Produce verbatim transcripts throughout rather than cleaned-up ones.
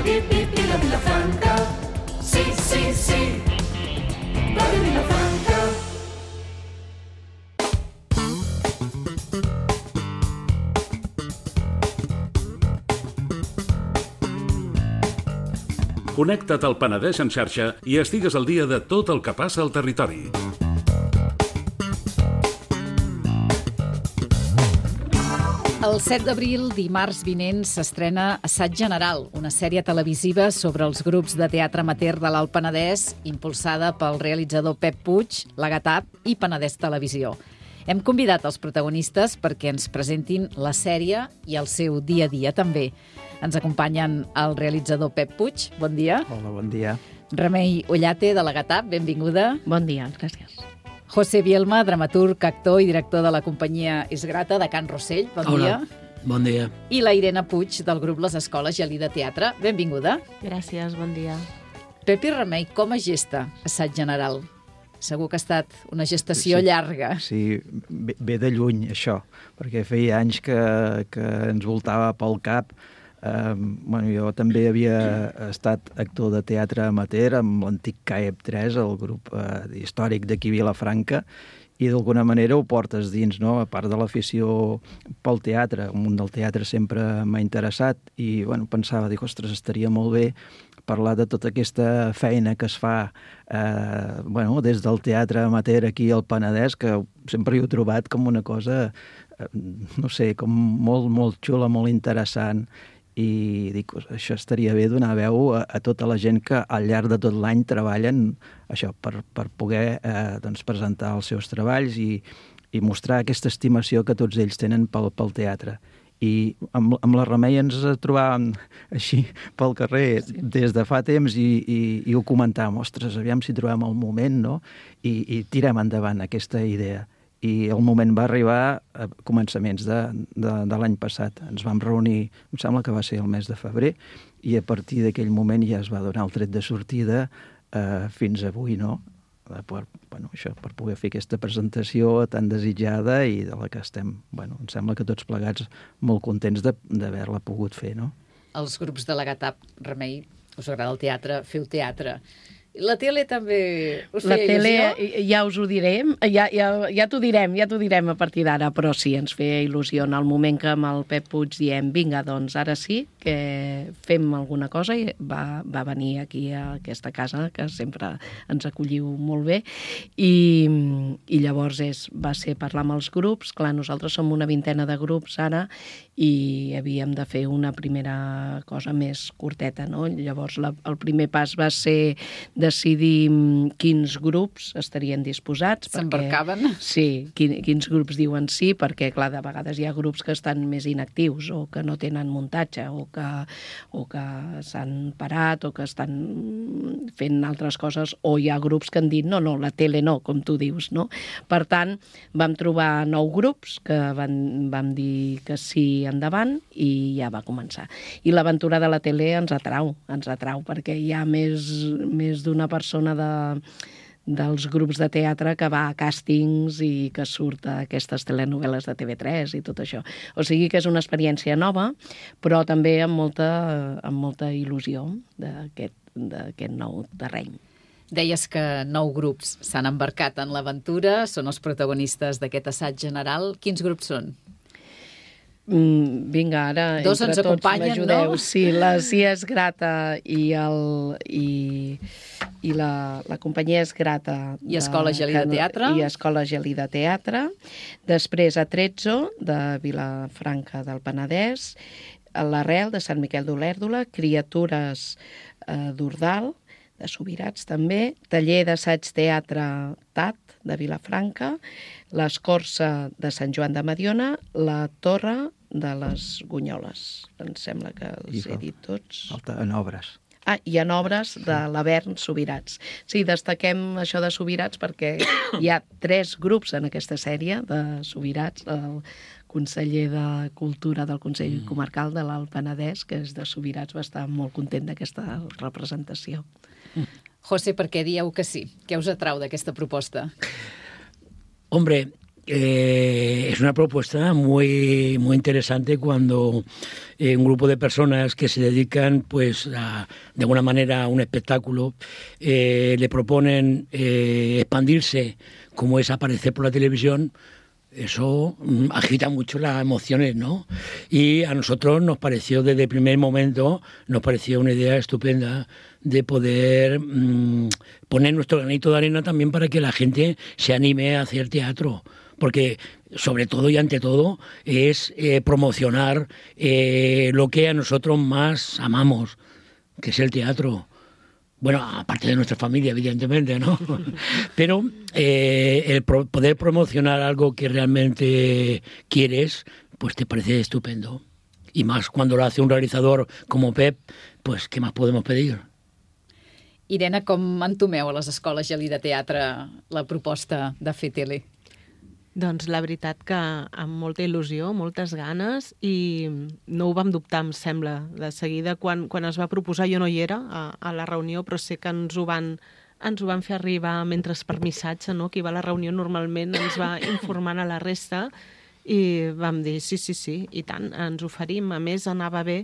Vila Vilafranca, sí, sí, sí, Ràdio Vilafranca. Connecta't al Penedès en xarxa i estigues al dia de tot el que passa al territori. El set d'abril, dimarts vinent, s'estrena Assaig General, una sèrie televisiva sobre els grups de teatre amateur de l'Alt Penedès, impulsada pel realitzador Pep Puig, la Gatap i Penedès Televisió. Hem convidat els protagonistes perquè ens presentin la sèrie i el seu dia a dia també. Ens acompanyen el realitzador Pep Puig, bon dia. Hola, bon dia. Remei Ollate, de la Gatap, benvinguda. Bon dia, gràcies. José Bielma, dramaturg, actor i director de la companyia Esgrata, de Can Rossell, bon Hola. dia. Bon dia. I la Irene Puig, del grup Les Escoles Gelida Teatre, benvinguda. Gràcies, bon dia. Pep i Remei, com es gesta Assaig General? Segur que ha estat una gestació sí, llarga. Sí, ve, ve de lluny, això, perquè feia anys que, que ens voltava pel cap. Uh, bueno, jo també havia estat actor de teatre amateur amb l'antic C A E P tres, el grup uh, històric d'aquí a Vilafranca, i d'alguna manera ho portes dins, no? A part de l'afició pel teatre, el món del teatre sempre m'ha interessat i bueno, pensava, dic, ostres, estaria molt bé parlar de tota aquesta feina que es fa eh, bueno, des del teatre amateur aquí al Penedès, que sempre hi he trobat com una cosa, eh, no sé, com molt, molt xula, molt interessant, i dic, això estaria bé donar veu a, a tota la gent que al llarg de tot l'any treballen això, per, per poder eh, doncs presentar els seus treballs i, i mostrar aquesta estimació que tots ells tenen pel, pel teatre. I amb, amb la Remei ens trobàvem així pel carrer sí. des de fa temps i, i, i ho comentàvem, ostres, aviam si trobem el moment, no? I, i tirem endavant aquesta idea. I el moment va arribar a començaments de, de, de l'any passat. Ens vam reunir, em sembla que va ser el mes de febrer, i a partir d'aquell moment ja es va donar el tret de sortida eh, fins avui, no? Per, bueno, això, per poder fer aquesta presentació tan desitjada i de la que estem, bueno, em sembla que tots plegats molt contents d'haver-la pogut fer, no? Els grups de la Gatap, Remei, us agrada el teatre, feu teatre. La tele també us feia La tele, il·lusió? ja us ho direm, ja, ja, ja t'ho direm, ja t'ho direm a partir d'ara, però sí, ens feia il·lusió en el moment que amb el Pep Puig diem, vinga, doncs ara sí que fem alguna cosa, i va, va venir aquí a aquesta casa, que sempre ens acolliu molt bé, i, i llavors és, va ser parlar amb els grups. Clar, nosaltres som una vintena de grups ara, i havíem de fer una primera cosa més curteta, no? Llavors la, el primer pas va ser decidir quins grups estarien disposats. S'embarcaven? Sí, quin, quins grups diuen sí, perquè, clar, de vegades hi ha grups que estan més inactius o que no tenen muntatge o que, o que s'han parat o que estan fent altres coses, o hi ha grups que han dit no, no, la tele no, com tu dius, no? Per tant, vam trobar nou grups que van, vam dir que sí endavant i ja va començar. I l'aventura de la tele ens atrau, ens atrau perquè hi ha més, més d'una persona de, dels grups de teatre que va a càstings i que surt a aquestes telenovel·les de T V tres i tot això. O sigui que és una experiència nova, però també amb molta, amb molta il·lusió d'aquest, d'aquest nou terreny. Deies que nou grups s'han embarcat en l'aventura, són els protagonistes d'aquest assaig general. Quins grups són? Mm, vinga, ara Dos entre ens tots acompanyen, m'ajudeu. no? Sí, la Cia Esgrata i, el, i, i la, la companyia Esgrata I Escola Gelida Teatre. I Escola Gelida Teatre. Després a Trezzo, de Vilafranca del Penedès, l'Arrel, de Sant Miquel d'Olèrdola, Criatures eh, d'Ordal, de Subirats també, Taller d'Assaig Teatre T A T, de Vilafranca, l'Escorça de Sant Joan de Mediona, la Torre de les Gunyoles. Em sembla que els he dit tots. Falta en obres. Ah, i en obres de l'Avern Subirats. Sí, destaquem això de Subirats perquè hi ha tres grups en aquesta sèrie de Subirats, el conseller de Cultura del Consell mm. Comarcal de l'Alt Penedès, que és de Subirats, va estar molt content d'aquesta representació. Mm. José, per què dieu que sí? Què us atrau d'aquesta proposta? Hombre, eh, es una propuesta muy, muy interesante cuando eh, un grupo de personas que se dedican pues a, de alguna manera a un espectáculo eh, le proponen eh, expandirse como es aparecer por la televisión. Eso agita mucho las emociones, ¿no? Y a nosotros nos pareció, desde el primer momento, nos pareció una idea estupenda de poder mmm, poner nuestro granito de arena también para que la gente se anime a hacer teatro. Porque, sobre todo y ante todo, es eh, promocionar eh, lo que a nosotros más amamos, que es el teatro. Bueno, aparte de nuestra familia, evidentemente, ¿no? Pero eh, el pro- poder promocionar algo que realmente quieres, pues te parece estupendo. Y más cuando lo hace un realizador como Pep, pues què més podem pedir? Irene, com entomeu a les escoles Gelí de Teatre la proposta de fer tele? Doncs la veritat que amb molta il·lusió, moltes ganes, i no ho vam dubtar, em sembla, de seguida. Quan, quan es va proposar, jo no hi era a, a la reunió, però sé que ens ho van, ens ho van fer arribar mentre per missatge, no? Qui va a la reunió normalment ens va informant a la resta, i vam dir sí, sí, sí, i tant, ens oferim. A més, anava bé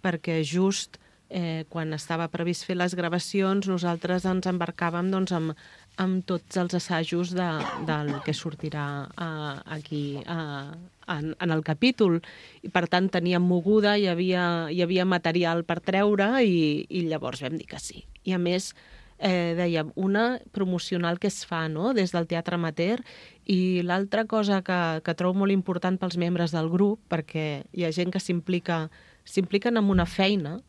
perquè just eh, quan estava previst fer les gravacions, nosaltres ens embarcàvem doncs, amb, amb tots els assajos de, del que sortirà uh, aquí uh, en, en el capítol. I, per tant, teníem moguda, hi havia, hi havia material per treure i, i llavors vam dir que sí. I, a més, eh, dèiem, una promocional que es fa, no?, des del teatre amateur, i l'altra cosa que, que trobo molt important pels membres del grup, perquè hi ha gent que s'implica s'impliquen en una feina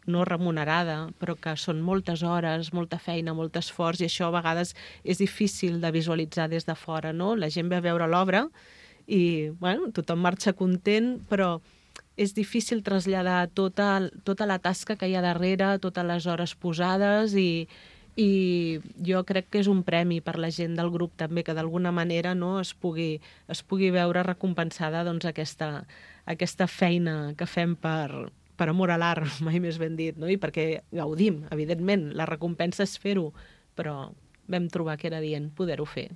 no remunerada, però que són moltes hores, molta feina, molt esforç, i això a vegades és difícil de visualitzar des de fora, no? La gent ve a veure l'obra i, bueno, tothom marxa content, però és difícil traslladar tota, tota la tasca que hi ha darrere, totes les hores posades, i, i jo crec que és un premi per la gent del grup també, que d'alguna manera no, es, pugui, es pugui veure recompensada doncs, aquesta, aquesta feina que fem per, per amor a l'art, mai més ben dit, no? I perquè gaudim, evidentment, la recompensa és fer-ho, però vam trobar que era dient poder-ho fer.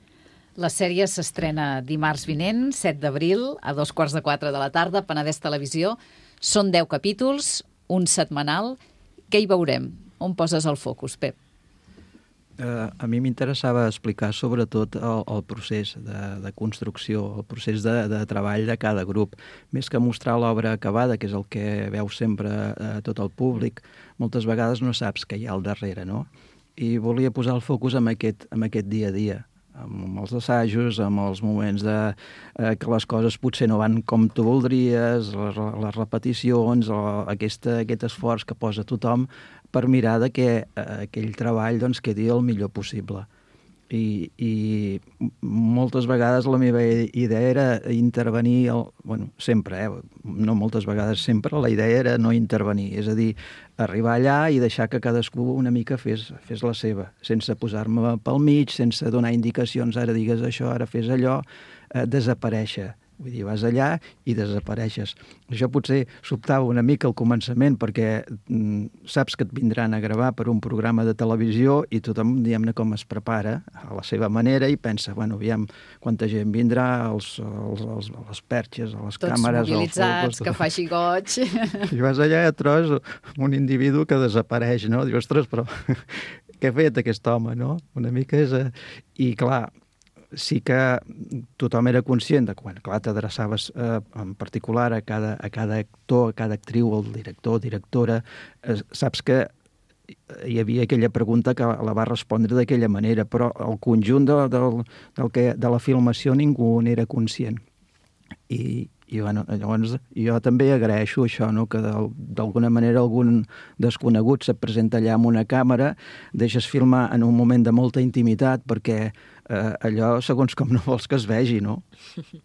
La sèrie s'estrena dimarts vinent, set d'abril, a dos quarts de quatre de la tarda, Penedès Televisió. Són deu capítols, un setmanal. Què hi veurem? On poses el focus, Pep? Uh, a mi m'interessava explicar sobretot el, el procés de, de construcció, el procés de, de treball de cada grup. Més que mostrar l'obra acabada, que és el que veu sempre uh, tot el públic, moltes vegades no saps què hi ha al darrere, no? I volia posar el focus en aquest, en aquest dia a dia, amb els assajos, amb els moments de, eh, que les coses potser no van com tu voldries, les, les repeticions, o aquesta, aquest esforç que posa tothom per mirar de que eh, aquell treball doncs, quedi el millor possible. I, i moltes vegades la meva idea era intervenir, el, bueno, sempre, eh? no moltes vegades, sempre la idea era no intervenir, és a dir, arribar allà i deixar que cadascú una mica fes, fes la seva, sense posar-me pel mig, sense donar indicacions, ara digues això, ara fes allò, eh, desaparèixer. Vull dir, vas allà i desapareixes. Això potser sobtava una mica al començament perquè mm, saps que et vindran a gravar per un programa de televisió i tothom, diguem-ne, com es prepara a la seva manera i pensa, bueno, aviam quanta gent vindrà, els, els, els, les perxes, les Tots càmeres... Tots mobilitzats, que faci goig... I vas allà i et trobes un individu que desapareix, no? Dius, ostres, però què ha fet aquest home, no? Una mica és... I clar, sí que tothom era conscient de quan, clar, t'adreçaves eh, en particular a cada, a cada actor, a cada actriu, el director, directora, eh, saps que hi havia aquella pregunta que la va respondre d'aquella manera, però el conjunt de, del, del que, de la filmació ningú n'era conscient. I, i bueno, llavors jo també agraeixo això, no? Que d'alguna manera algun desconegut se't presenta allà amb una càmera, deixes filmar en un moment de molta intimitat perquè eh, allò segons com no vols que es vegi, no?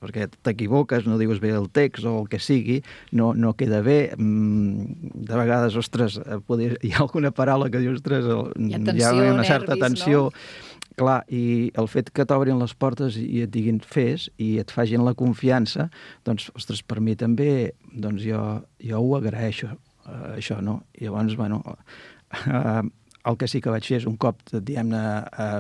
Perquè t'equivoques, no dius bé el text o el que sigui, no, no queda bé. De vegades, ostres, poder, hi ha alguna paraula que dius, ostres, hi ha, tensió, hi ha una certa nervis, tensió... No? Clar, i el fet que t'obrin les portes i et diguin fes i et facin la confiança, doncs, ostres, per mi també, doncs jo, jo ho agraeixo, uh, això, no? I llavors, bueno, uh, el que sí que vaig fer és un cop, diguem-ne,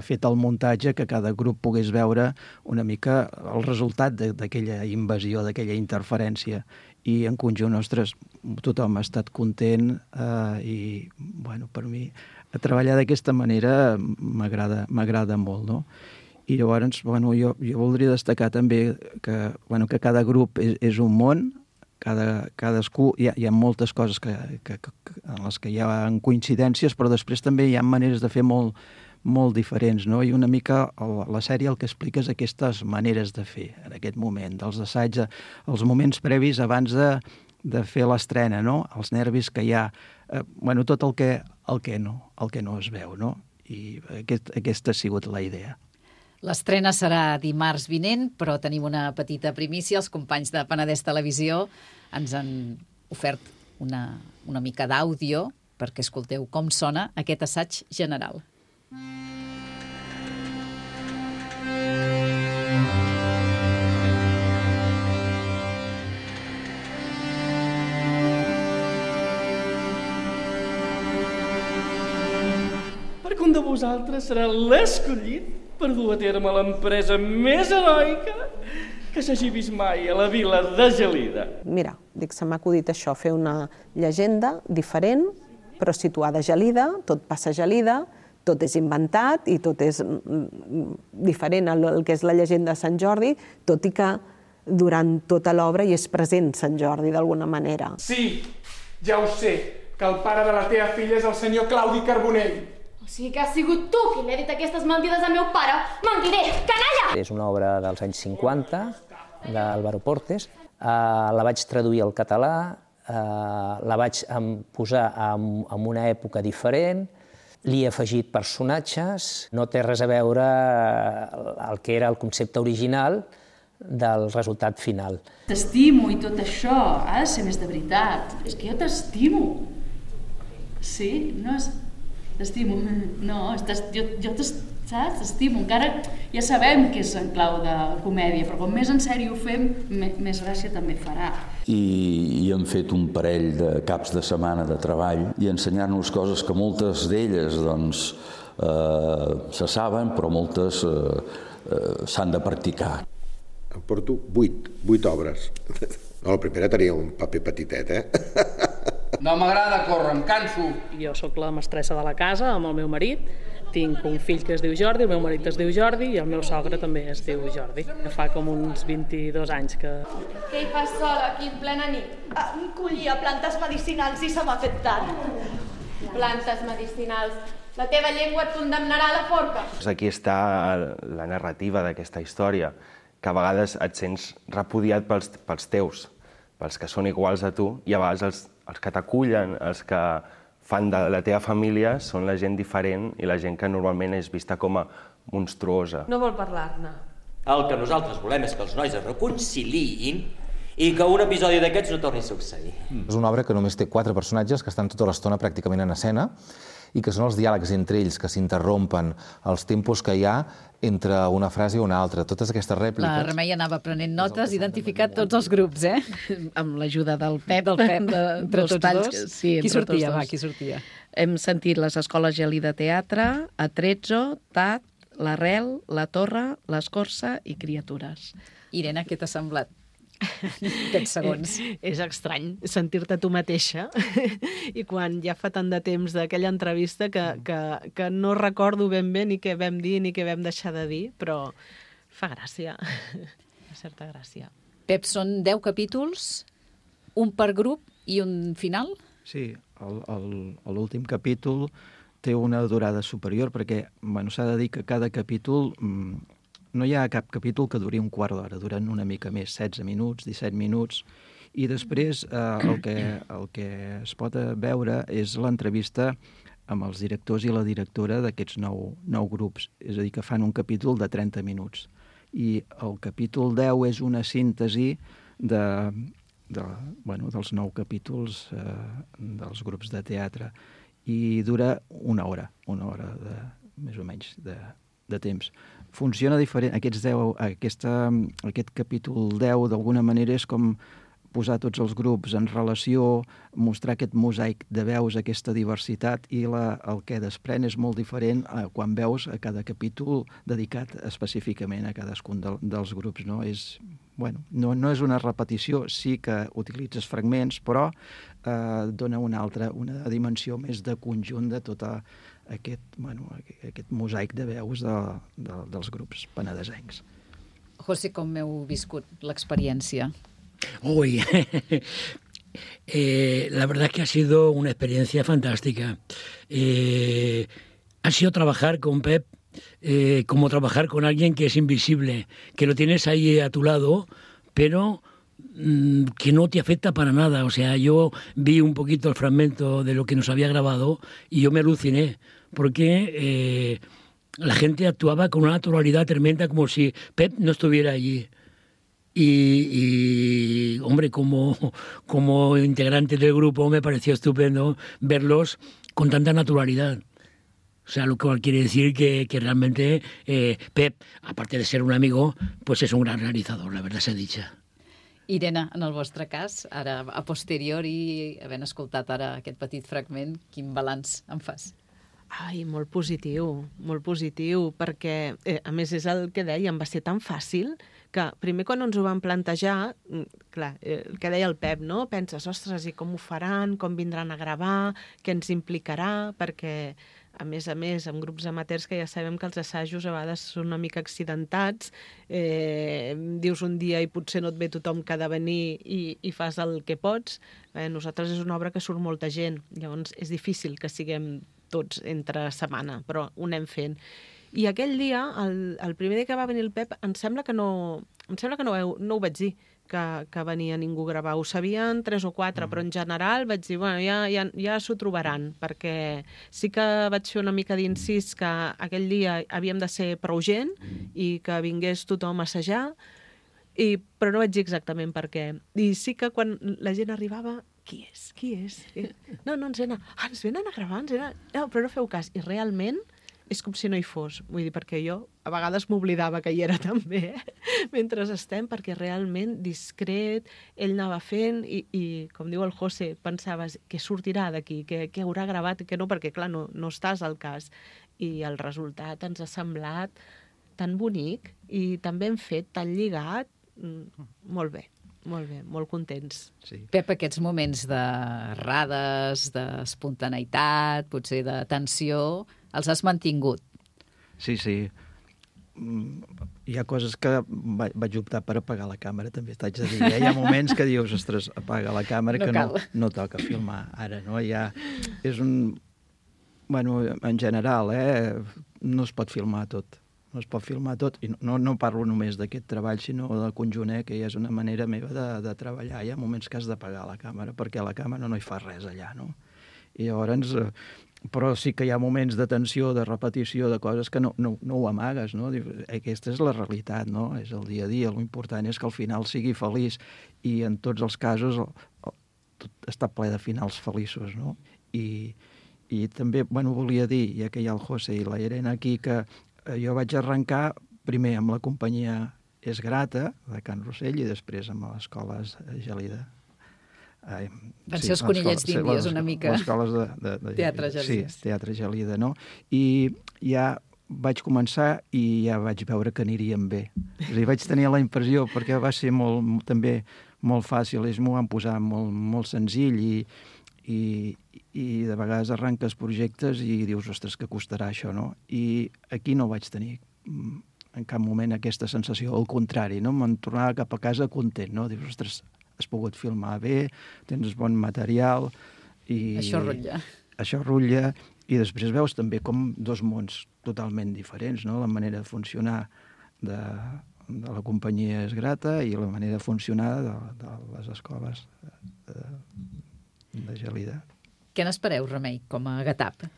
fet el muntatge, que cada grup pogués veure una mica el resultat d'aquella invasió, d'aquella interferència. I en conjunt, ostres, tothom ha estat content eh, i, bueno, per mi, treballar d'aquesta manera m'agrada molt, no? I llavors, bueno, jo, jo voldria destacar també que, bueno, que cada grup és, és un món, cada, cadascú, hi ha, hi ha moltes coses que, que, que, en les que hi ha coincidències, però després també hi ha maneres de fer molt, molt diferents, no? I una mica el, la sèrie el que explica és aquestes maneres de fer en aquest moment, dels assaigs, els moments previs abans de, de fer l'estrena, no? Els nervis que hi ha, eh, bueno, tot el que, el que no, el que no es veu, no? I aquest, aquesta ha sigut la idea. L'estrena serà dimarts vinent, però tenim una petita primícia. Els companys de Penedès Televisió ens han ofert una, una mica d'àudio perquè escolteu com sona aquest assaig general. Perquè un de vosaltres serà l'escollit per dur a terme l'empresa més heroica que s'hagi vist mai a la vila de Gelida. Mira, dic, se m'ha acudit això, fer una llegenda diferent, però situada a Gelida, tot passa a Gelida, tot és inventat i tot és diferent al que és la llegenda de Sant Jordi, tot i que durant tota l'obra hi és present Sant Jordi d'alguna manera. Sí, ja ho sé, que el pare de la teva filla és el senyor Claudi Carbonell. O sigui que has sigut tu qui li ha dit aquestes mentides al meu pare? Mentider, canalla! És una obra dels anys cinquanta, d'Álvaro Portes. Uh, la vaig traduir al català, uh, la vaig posar en, en una època diferent, li he afegit personatges, no té res a veure el que era el concepte original del resultat final. T'estimo i tot això, ha de ser més de veritat. És que jo t'estimo. Sí? No és... T'estimo. No, estàs, jo, jo saps? T'estimo. Encara ja sabem que és en clau de comèdia, però com més en sèrio ho fem, més gràcia també farà. I, i hem fet un parell de caps de setmana de treball i ensenyar-nos coses que moltes d'elles doncs, eh, se saben, però moltes eh, eh, s'han de practicar. Em porto vuit, vuit obres. No, la primera tenia un paper petitet, eh? No m'agrada córrer, em canso. Jo sóc la mestressa de la casa amb el meu marit. Tinc un fill que es diu Jordi, el meu marit es diu Jordi i el meu sogre també es diu Jordi. Que fa com uns vint-i-dos anys que... Què hi fas sola aquí en plena nit? Ah, collia plantes medicinals i se m'ha fet tant. Plantes medicinals. La teva llengua et condemnarà a la forca. Aquí està la narrativa d'aquesta història, que a vegades et sents repudiat pels, pels teus, pels que són iguals a tu, i a vegades els, els que t'acullen, els que fan de la teva família, són la gent diferent i la gent que normalment és vista com a monstruosa. No vol parlar-ne. El que nosaltres volem és que els nois es reconciliïn i que un episodi d'aquests no torni a succeir. Mm. És una obra que només té quatre personatges que estan tota l'estona pràcticament en escena i que són els diàlegs entre ells que s'interrompen, els tempos que hi ha entre una frase i una altra, totes aquestes rèpliques. La Remei anava prenent notes, identificat tots els grups, eh? Amb l'ajuda del Pep. Del Pep, de, entre tots talls, dos. Sí, qui sortia, dos. va, qui sortia? Hem sentit les escoles Gelida Teatre, Atrezzo, Tat, l'Arrel, la Torre, l'Escorça i Criatures. Irene, què t'ha semblat? Aquests segons. És estrany sentir-te tu mateixa i quan ja fa tant de temps d'aquella entrevista que, que, que no recordo ben bé ni què vam dir ni què vam deixar de dir, però fa gràcia, fa certa gràcia. Pep, són deu capítols, un per grup i un final? Sí, l'últim capítol té una durada superior perquè bueno, s'ha de dir que cada capítol... No hi ha cap capítol que duri un quart d'hora, duren una mica més, setze minuts, disset minuts, i després eh, el, que, el que es pot veure és l'entrevista amb els directors i la directora d'aquests nou, nou grups, és a dir, que fan un capítol de trenta minuts. I el capítol deu és una síntesi de, de, bueno, dels nou capítols eh, dels grups de teatre, i dura una hora, una hora de, més o menys de, de temps. Funciona diferent. Aquests deu, aquesta, aquest capítol deu, d'alguna manera, és com posar tots els grups en relació, mostrar aquest mosaic de veus, aquesta diversitat, i la, el que desprèn és molt diferent a quan veus a cada capítol dedicat específicament a cadascun de, dels grups, no? És, bueno, no, no és una repetició, sí que utilitzes fragments, però eh, dona una altra, una dimensió més de conjunt de tot aquest, bueno, aquest mosaic de veus de, de, dels grups penedesencs. José, com heu viscut l'experiència? Uy, eh, la verdad es que ha sido una experiencia fantástica. Eh, ha sido trabajar con Pep eh, como trabajar con alguien que es invisible, que lo tienes ahí a tu lado, pero mmm, que no te afecta para nada. O sea, yo vi un poquito el fragmento de lo que nos había grabado y yo me aluciné, porque eh, la gente actuaba con una naturalidad tremenda, como si Pep no estuviera allí. Y, y hombre, como, como integrante del grupo me pareció estupendo verlos con tanta naturalidad. O sea, lo cual quiere decir que, que realmente eh, Pep, aparte de ser un amigo, pues es un gran realizador, la verdad sea dicha. Irene, en el vostre cas, ara a posteriori, havent escoltat ara aquest petit fragment, quin balanç en fas? Ai, molt positiu, molt positiu, perquè, eh, a més, és el que dèiem, va ser tan fàcil que primer quan ens ho vam plantejar, clar, eh, el que deia el Pep, no? Penses, ostres, i com ho faran, com vindran a gravar, què ens implicarà, perquè, a més a més, amb grups amateurs que ja sabem que els assajos a vegades són una mica accidentats, eh, dius un dia i potser no et ve tothom que ha de venir i, i fas el que pots. Eh, nosaltres és una obra que surt molta gent, llavors és difícil que siguem tots entre setmana, però ho anem fent. I aquell dia, el, el primer dia que va venir el Pep, em sembla que no, em sembla que no, no ho vaig dir, que, que venia ningú a gravar. Ho sabien tres o quatre, mm. però en general vaig dir, bueno, ja, ja, ja s'ho trobaran, perquè sí que vaig fer una mica d'incís que aquell dia havíem de ser prou gent i que vingués tothom a assajar, i, però no vaig dir exactament per què. I sí que quan la gent arribava, qui és? Qui és? No, no, ens venen, ah, ens venen a gravar, ens venen... No, però no feu cas. I realment és com si no hi fos. Vull dir, perquè jo a vegades m'oblidava que hi era també, eh? Mentre estem, perquè realment discret, ell anava fent i, i com diu el José, pensaves què sortirà d'aquí, què, què haurà gravat i què no, perquè clar, no, no estàs al cas. I el resultat ens ha semblat tan bonic i tan ben fet, tan lligat, molt bé. Molt bé, molt contents. Sí. Pep, aquests moments de rades, d'espontaneïtat, potser de tensió, els has mantingut? Sí, sí. Hi ha coses que vaig optar per apagar la càmera, també t'haig de dir. Hi ha moments que dius, ostres, apaga la càmera, no que no, no toca filmar ara, no? Ja és un... Bueno, en general, eh? No es pot filmar tot. No es pot filmar tot, i no, no parlo només d'aquest treball, sinó del conjunt, eh, que ja és una manera meva de, de treballar. Hi ha moments que has d'apagar la càmera, perquè la càmera no hi fa res allà, no? I llavors, eh, però sí que hi ha moments de tensió, de repetició, de coses que no, no, no ho amagues, no? Aquesta és la realitat, no? És el dia a dia, l'important és que al final sigui feliç, i en tots els casos el, el, tot està ple de finals feliços, no? I, i també, bueno, volia dir, ja que hi ha el José i la Irene aquí, que jo vaig arrencar primer amb la companyia Es Grata, de Can Rossell, i després amb l'escola Gelida. Ai, Van sí, ser els conillets d'Índies, una mica. Les escoles de, de, de... Teatre Gelida. Sí, Teatre Gelida, no? I ja vaig començar i ja vaig veure que aniríem bé. És a dir, vaig tenir la impressió, perquè va ser molt, també molt fàcil, ells m'ho van posar molt, molt senzill i, i, i de vegades arranques projectes i dius, ostres, que costarà això, no? I aquí no vaig tenir en cap moment aquesta sensació, al contrari, no? Me'n tornava cap a casa content, no? Dius, ostres, has pogut filmar bé, tens bon material i... Això rutlla. Això rutlla, i després veus també com dos mons totalment diferents, no? La manera de funcionar de, de la companyia Es Grata i la manera de funcionar de, de les escoles de, de Gelida. Què n'espereu, Remei, com a Gatap?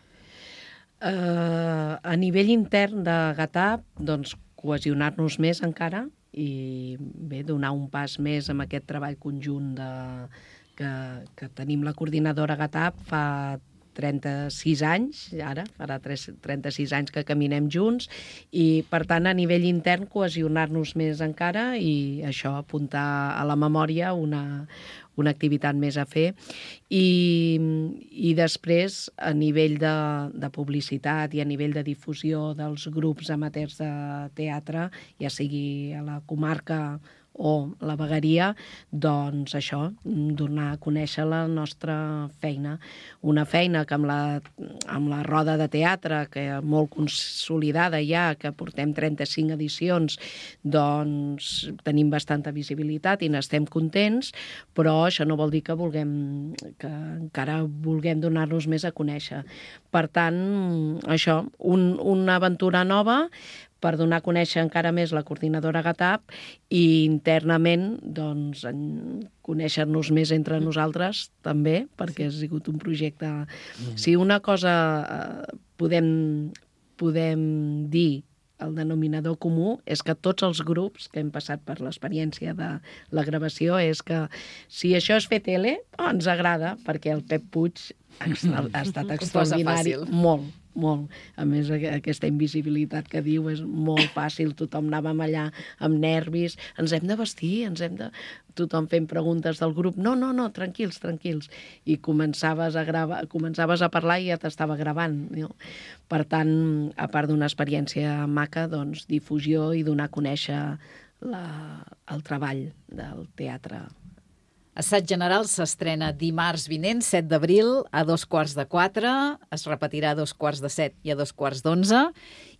Uh, a nivell intern de Gatap, doncs, cohesionar-nos més encara i bé, donar un pas més amb aquest treball conjunt de, que, que tenim la coordinadora Gatap fa trenta-sis anys, ara, farà trenta-sis anys que caminem junts, i per tant a nivell intern cohesionar-nos més encara i això, apuntar a la memòria una, una activitat més a fer. I, i després, a nivell de, de publicitat i a nivell de difusió dels grups amateurs de teatre, ja sigui a la comarca o la vegueria, doncs això, donar a conèixer la nostra feina. Una feina que amb la, amb la roda de teatre, que molt consolidada ja, que portem trenta-cinc edicions, doncs tenim bastanta visibilitat i n'estem contents, però això no vol dir que vulguem, que encara vulguem donar-nos més a conèixer. Per tant, això, un, una aventura nova, per donar a conèixer encara més la coordinadora GATAP i internament doncs, conèixer-nos més entre nosaltres també, perquè ha sigut un projecte... Mm. Si una cosa eh, podem, podem dir, el denominador comú, és que tots els grups que hem passat per l'experiència de la gravació és que si això és fer tele, oh, ens agrada, perquè el Pep Puig ha, ha estat extraordinari. Molt, molt. A més, aquesta invisibilitat que diu és molt fàcil. Tothom anàvem allà amb nervis. Ens hem de vestir, ens hem de... Tothom fent preguntes del grup. No, no, no, tranquils, tranquils. I començaves a, gravar, començaves a parlar i ja t'estava gravant. No? Per tant, a part d'una experiència maca, doncs, difusió i donar a conèixer la, el treball del teatre. Assaig General s'estrena dimarts vinent, set d'abril, a dos quarts de quatre, es repetirà a dos quarts de set i a dos quarts d'onze,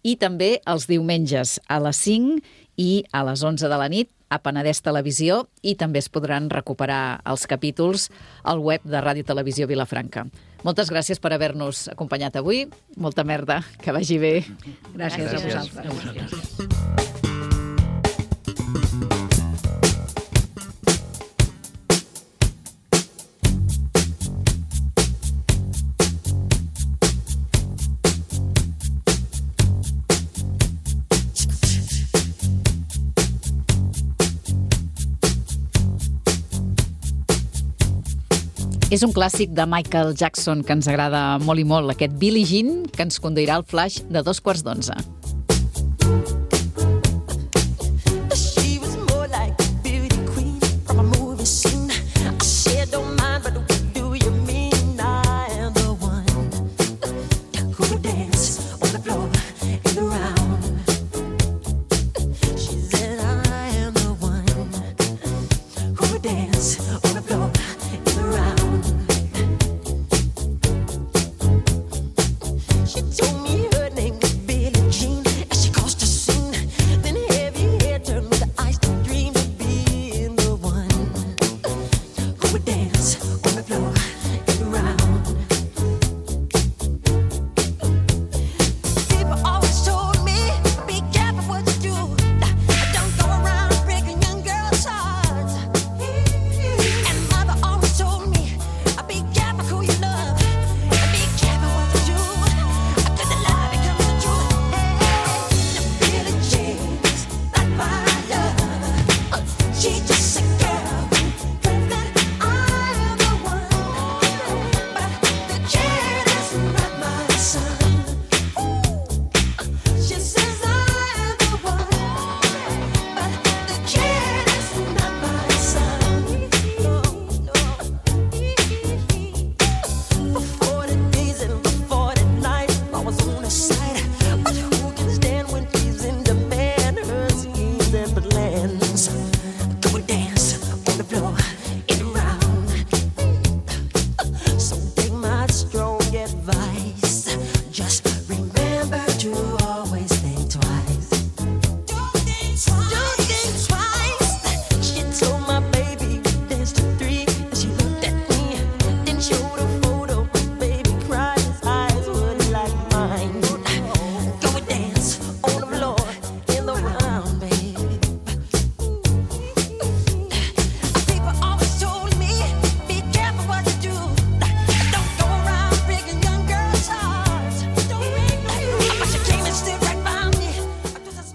i també els diumenges a les cinc i a les onze de la nit a Penedès Televisió, i també es podran recuperar els capítols al web de Ràdio Televisió Vilafranca. Moltes gràcies per haver-nos acompanyat avui. Molta merda, que vagi bé. Gràcies, gràcies. a vosaltres. A vosaltres. És un clàssic de Michael Jackson que ens agrada molt i molt, aquest Billie Jean, que ens conduirà al flash de dos quarts d'onze.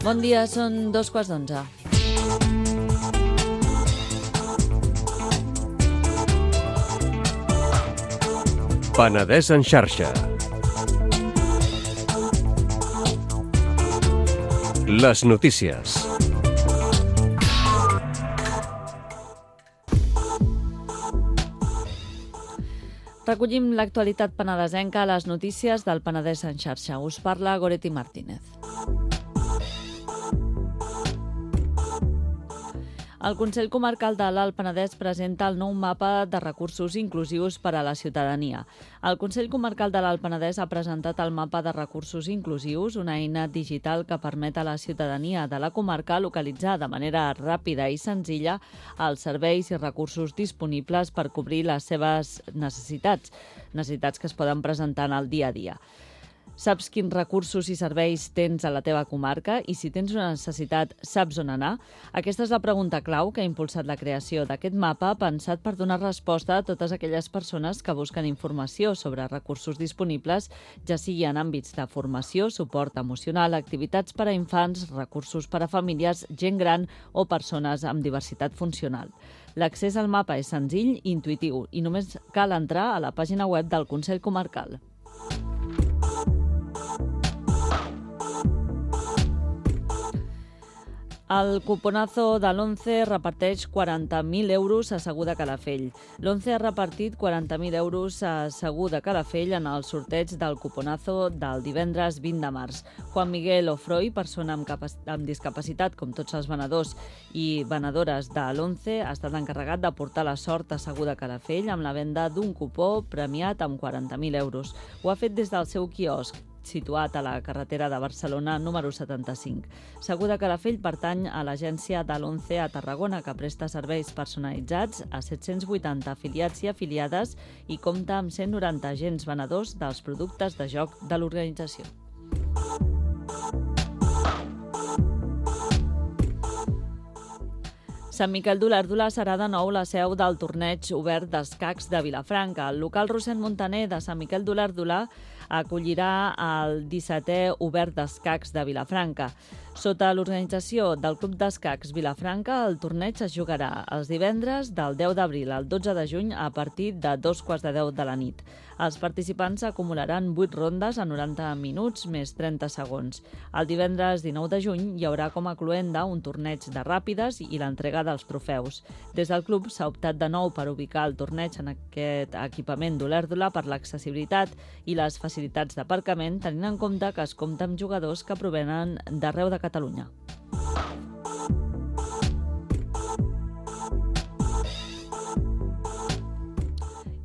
Bon dia, són dos quarts d'onze. Penedès en xarxa. Les notícies. Recollim l'actualitat penedesenca a les notícies del Penedès en xarxa. Us parla Goretti Martínez. El Consell Comarcal de l'Alt Penedès presenta el nou mapa de recursos inclusius per a la ciutadania. El Consell Comarcal de l'Alt Penedès ha presentat el mapa de recursos inclusius, una eina digital que permet a la ciutadania de la comarca localitzar de manera ràpida i senzilla els serveis i recursos disponibles per cobrir les seves necessitats, necessitats que es poden presentar en el dia a dia. Saps quins recursos i serveis tens a la teva comarca i si tens una necessitat saps on anar? Aquesta és la pregunta clau que ha impulsat la creació d'aquest mapa pensat per donar resposta a totes aquelles persones que busquen informació sobre recursos disponibles, ja sigui en àmbits de formació, suport emocional, activitats per a infants, recursos per a famílies, gent gran o persones amb diversitat funcional. L'accés al mapa és senzill i intuïtiu i només cal entrar a la pàgina web del Consell Comarcal. El cuponazo de l'Once reparteix quaranta mil euros a Segur de Calafell. L'Once ha repartit quaranta mil euros a Segur de Calafell en el sorteig del cuponazo del divendres vint de març. Juan Miguel Ofroi, persona amb, amb discapacitat, com tots els venedors i venedores de l'Once, ha estat encarregat de portar la sort a Segur de Calafell amb la venda d'un cupó premiat amb quaranta mil euros. Ho ha fet des del seu quiosc, situat a la carretera de Barcelona número setanta-cinc. Segur de Calafell pertany a l'agència de l'Once a Tarragona, que presta serveis personalitzats a set-cents vuitanta afiliats i afiliades i compta amb cent noranta agents venedors dels productes de joc de l'organització. Sant Miquel d'Olèrdola serà de nou la seu del torneig obert d'escacs de Vilafranca. El local Rossend Montaner de Sant Miquel d'Olèrdola acollirà el dissetè obert d'escacs de Vilafranca. Sota l'organització del Club d'Escacs Vilafranca, el torneig es jugarà els divendres del deu d'abril al dotze de juny a partir de dos quarts de deu de la nit. Els participants acumularan vuit rondes a noranta minuts més trenta segons. El divendres dinou de juny hi haurà com a cloenda un torneig de ràpides i l'entrega dels trofeus. Des del club s'ha optat de nou per ubicar el torneig en aquest equipament d'Olèrdola per l'accessibilitat i les facilitats d'aparcament, tenint en compte que es compta amb jugadors que provenen d'arreu de Catalunya.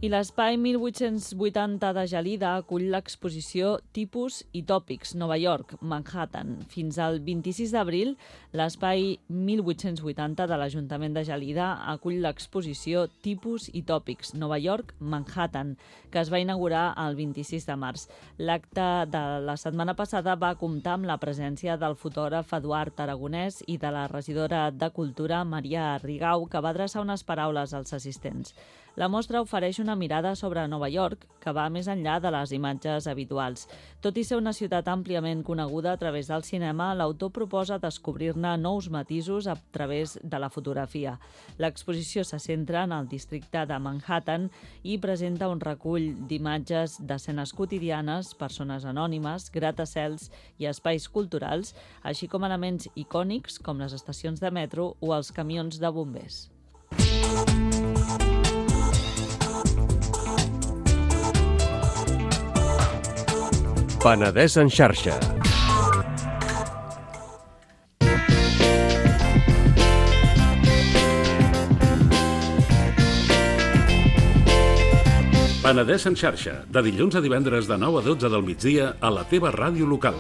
I l'Espai mil vuit-cents vuitanta de Gelida acull l'exposició Tipus i Tòpics, Nova York, Manhattan. Fins al vint-i-sis d'abril, l'Espai mil vuit-cents vuitanta de l'Ajuntament de Gelida acull l'exposició Tipus i Tòpics, Nova York, Manhattan, que es va inaugurar el vint-i-sis de març. L'acte de la setmana passada va comptar amb la presència del fotògraf Eduard Aragonès i de la regidora de Cultura, Maria Rigau, que va adreçar unes paraules als assistents. La mostra ofereix una mirada sobre Nova York que va més enllà de les imatges habituals. Tot i ser una ciutat àmpliament coneguda a través del cinema, l'autor proposa descobrir-ne nous matisos a través de la fotografia. L'exposició se centra en el districte de Manhattan i presenta un recull d'imatges d'escenes quotidianes, persones anònimes, gratacels i espais culturals, així com elements icònics com les estacions de metro o els camions de bombers. Penedès en xarxa. Penedès en xarxa, de dilluns a divendres de nou a dotze del migdia a la teva ràdio local.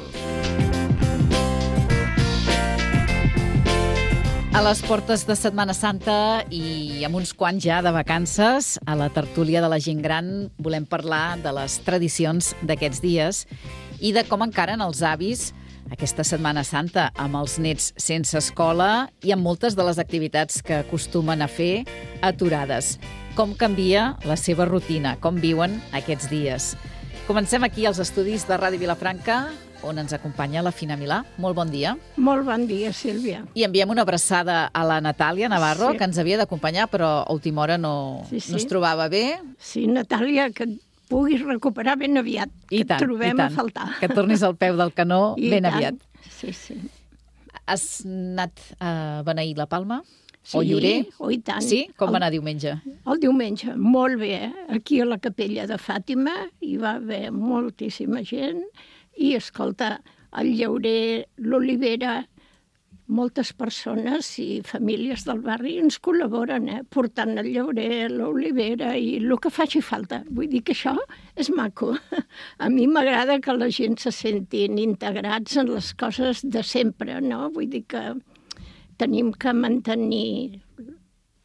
A les portes de Setmana Santa i amb uns quants ja de vacances, a la tertúlia de la gent gran volem parlar de les tradicions d'aquests dies i de com encaren els avis aquesta Setmana Santa amb els nets sense escola i amb moltes de les activitats que acostumen a fer aturades. Com canvia la seva rutina, com viuen aquests dies. Comencem aquí als estudis de Ràdio Vilafranca, on ens acompanya la Fina Milà. Molt bon dia. Molt bon dia, Sílvia. I enviem una abraçada a la Natàlia Navarro, sí, que ens havia d'acompanyar, però a última hora no, sí, sí. no es trobava bé. Sí, Natàlia, que puguis recuperar ben aviat, I que tant, et trobem i tant. a faltar. Que et tornis al peu del canó I ben tant. aviat. Sí, sí. Has anat a beneir la Palma? Sí, o Llorer? oh, i tant. Sí? Com El- va anar diumenge? El diumenge, molt bé. Aquí a la capella de Fàtima hi va haver moltíssima gent i, escolta, el Llaurer, l'Olivera, moltes persones i famílies del barri ens col·laboren, eh? Portant el Llaurer, l'Olivera i el que faci falta. Vull dir que això és maco. A mi m'agrada que la gent se sentin integrats en les coses de sempre, no? Vull dir que tenim que mantenir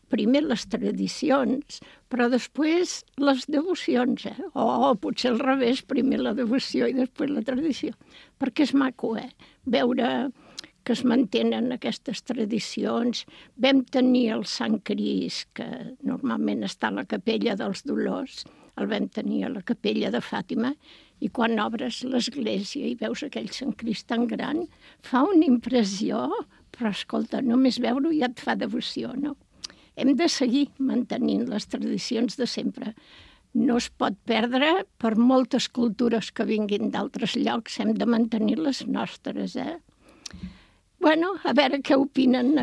primer les tradicions, però després les devocions, eh? O potser al revés, primer la devoció i després la tradició. Perquè és maco, eh? Veure que es mantenen aquestes tradicions. Vam tenir el Sant Crist, que normalment està a la capella dels Dolors, el vam tenir a la capella de Fàtima, i quan obres l'església i veus aquell Sant Crist tan gran, fa una impressió, però escolta, només veure-ho ja et fa devoció, no? Hem de seguir mantenint les tradicions de sempre. No es pot perdre per moltes cultures que vinguin d'altres llocs, hem de mantenir les nostres, eh? Bueno, a veure què opinen.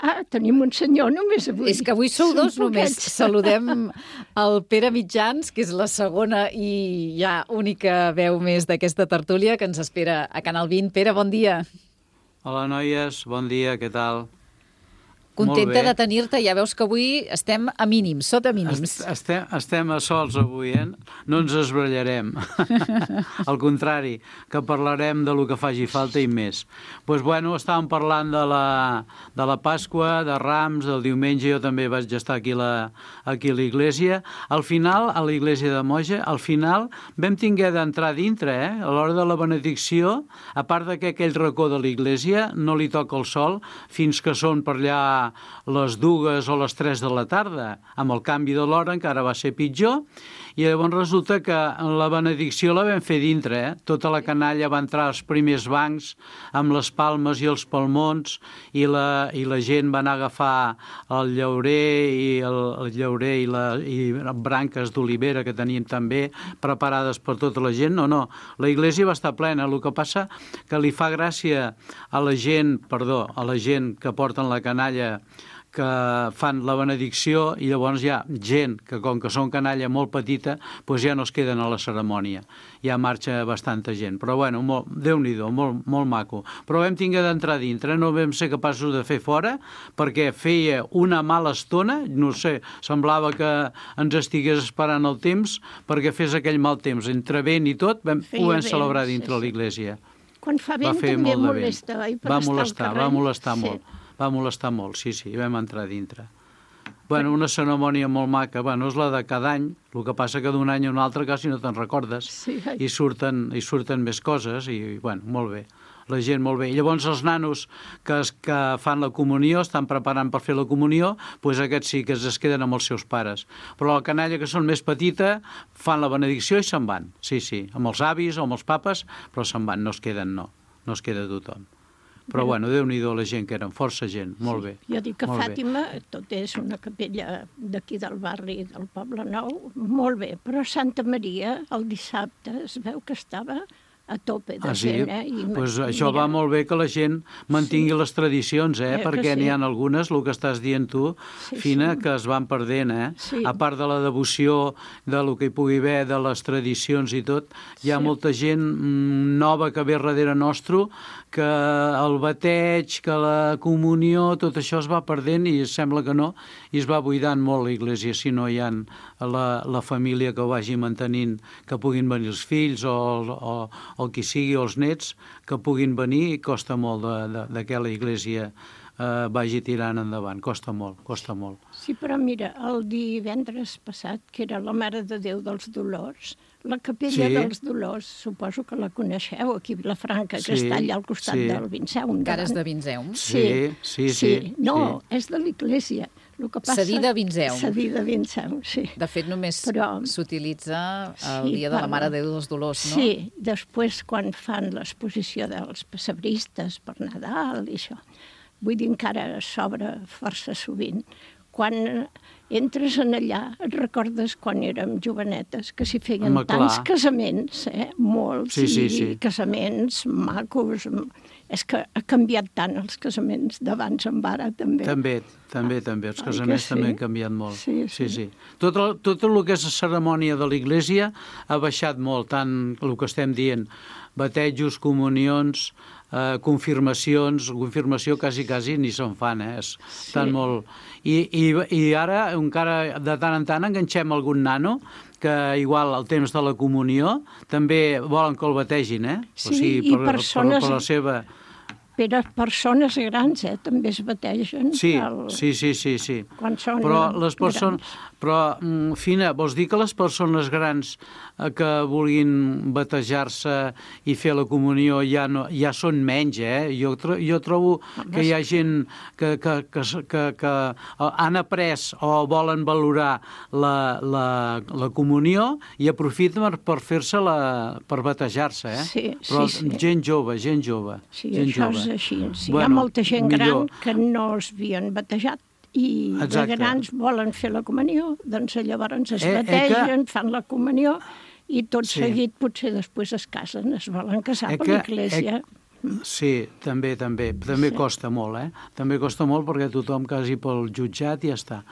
Ah, tenim un senyor només avui. És que avui sou Són dos només. poquets. Saludem el Pere Mitjans, que és la segona i ja única veu més d'aquesta tertúlia que ens espera a Canal vint. Pere, bon dia. Hola, noies. Bon dia, què tal? Contenta de tenir-te. Ja veus que avui estem a mínims, sota mínims. Estem, estem a sols avui, eh? No ens esbrallarem. Al contrari, que parlarem de lo que faci falta i més. Doncs, pues, bueno, estàvem parlant de la, de la Pasqua, de Rams, del diumenge, jo també vaig estar aquí, la, aquí a l'església. Al final, a l'església de Moja, al final vam tinguer d'entrar dintre, eh? A l'hora de la benedicció, a part de que aquell racó de l'església no li toca el sol fins que són per allà les dues o les tres de la tarda. Amb el canvi de l'hora encara va ser pitjor i llavors resulta que la benedicció la vam fer dintre, eh? Tota la canalla va entrar als primers bancs amb les palmes i els palmons i la, i la gent va anar a agafar el llaurer i el, el llaurer i, la, i branques d'olivera que teníem també preparades per tota la gent. No, no, la iglésia va estar plena. El que passa que li fa gràcia a la gent, perdó, a la gent que porten la canalla que fan la benedicció i llavors hi ha gent que, com que són canalla molt petita, doncs ja no es queden a la cerimònia. Ja marxa bastanta gent. Però, bueno, molt, Déu-n'hi-do, molt, molt maco. Però vam tinguer d'entrar dintre, no vam ser capaços de fer fora, perquè feia una mala estona, no sé, semblava que ens estigués esperant el temps perquè fes aquell mal temps. Entre vent i tot, vam, ho vam celebrar dintre sí, l'església. Quan fa vent també molesta, oi? Va molestar, va molestar molt. Va molestar molt, sí, sí, vam entrar dintre. Bueno, una cerimònia molt maca, bueno, és la de cada any, el que passa que d'un any a un altre quasi no te'n recordes, sí, i, surten, i surten més coses, i, bueno, molt bé, la gent molt bé. I llavors els nanos que, es, que fan la comunió, estan preparant per fer la comunió, doncs aquests sí que es queden amb els seus pares. Però la canalla, que són més petita, fan la benedicció i se'n van, sí, sí, amb els avis o amb els papes, però se'n van, no es queden, no, no es queda tothom. Però, bueno, Déu-n'hi-do la gent que eren, força gent, molt bé. Jo dic que Fàtima, tot és una capella d'aquí del barri del Poble Nou, molt bé, però Santa Maria el dissabte es veu que estava a tope de ah, sí? gent, eh? I, pues això mira, va molt bé que la gent mantingui sí. les tradicions, eh? eh perquè sí. n'hi ha algunes, el que estàs dient tu, sí, Fina, sí. que es van perdent, eh? Sí. A part de la devoció, de lo que hi pugui haver, de les tradicions i tot, hi ha sí. molta gent nova que ve darrere nostre, que el bateig, que la comunió, tot això es va perdent i sembla que no, i es va buidant molt l'església, si no hi ha la, la família que ho vagi mantenint, que puguin venir els fills o, o, o qui sigui, o els nets, que puguin venir, i costa molt de, de, de que la iglésia eh, vagi tirant endavant, costa molt, costa molt. Sí, però mira, el divendres passat, que era la Mare de Déu dels Dolors, la capella sí. dels Dolors, suposo que la coneixeu, aquí a Vilafranca, sí, que està allà al costat sí. del Vinceum. Cares de Vinceum. Sí, sí, sí. sí. No, sí. és de l'església. Cedida a Vinceum. Cedida a Vinceum, sí. De fet, només Però... s'utilitza el sí, dia de la Mare de Déu dels Dolors, no? Sí, després quan fan l'exposició dels pessebristes per Nadal i això, vull dir, encara s'obre força sovint. Quan entres en allà, et recordes quan érem jovenetes, que s'hi feien Home, tants clar. casaments, eh? molts, Sí, sí, i sí. casaments macos. És que ha canviat tant els casaments d'abans en ara, també. També, també, també. Els Oi que casaments sí? també han canviat molt. Sí, sí. sí. Tot, el, tot el que és la cerimònia de l'Església ha baixat molt, tant el que estem dient, batejos, comunions, eh, confirmacions, confirmació quasi, quasi ni se'n fan, eh? És Sí. tan molt... I, i, I ara, encara de tant en tant, enganxem algun nano que igual al temps de la comunió també volen que el bategin, eh? Sí, i per, persones- per, per la seva... Però persones grans, eh, també es bategen. Sí, el... sí, sí, sí, sí. Quan són Però les grans. persones... Però, mm, Fina, vols dir que les persones grans eh, que vulguin batejar-se i fer la comunió ja, no, ja són menys, eh? Jo, tro jo trobo que hi ha gent que, que, que, que, que han après o volen valorar la, la, la comunió i aprofiten per, per fer-se-la, per batejar-se, eh? Sí, Però sí, sí. gent jove, gent jove. Sí, gent això jove. és així. Sí, Bueno, hi ha molta gent millor. gran que no es havien batejat i Exacte. de grans volen fer la comunió, doncs llavors es Eh, eh, bategen, que- fan la comunió i tot Sí. seguit potser després es casen, es volen casar Eh per que- l'església. eh, Sí, també, també. També Sí. costa molt, eh? També costa molt perquè tothom quasi pel jutjat i ja està.